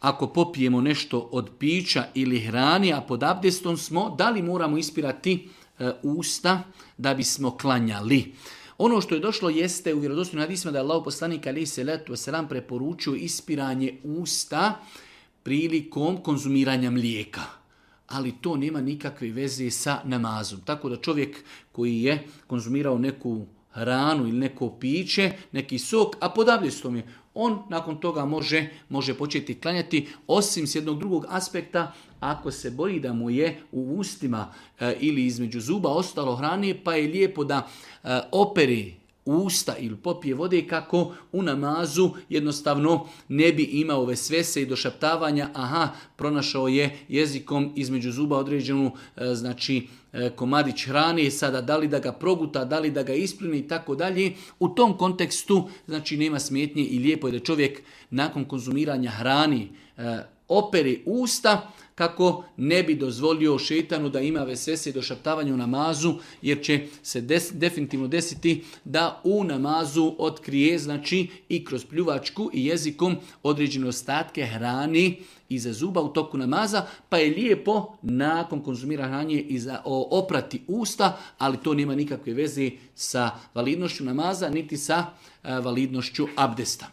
ako popijemo nešto od pića ili hrani, a pod abdestom smo, da li moramo ispirati usta da bismo klanjali? Ono što je došlo jeste u vjerodostojnim hadisima da je Allahov poslanik alejhi selatu vesselam preporučio ispiranje usta prilikom konzumiranja mlijeka. Ali to nema nikakve veze sa namazom. Tako da čovjek koji je konzumirao neku hranu ili neko piće, neki sok, a pod abdestom je, on nakon toga može početi klanjati, osim s jednog drugog aspekta, ako se boji da mu je u ustima ili između zuba ostalo hrane, pa je lijepo da operi usta ili popije vode kako u namazu jednostavno ne bi imao vesvese i došaptavanja, pronašao je jezikom između zuba određenu komadić hrane, sada da li da ga proguta, da li da ga isplini i tako dalje. U tom kontekstu nema smetnje i lijepo je da čovjek nakon konzumiranja hrani operi usta kako ne bi dozvolio šejtanu da ima vesvese i došaptavanje u namazu, jer će se definitivno desiti da u namazu otkrije i kroz pljuvačku i jezikom određene ostatke hrani iza zuba u toku namaza, pa je lijepo nakon konzumiranja hrane oprati usta, ali to nema nikakve veze sa validnošću namaza niti sa validnošću abdesta.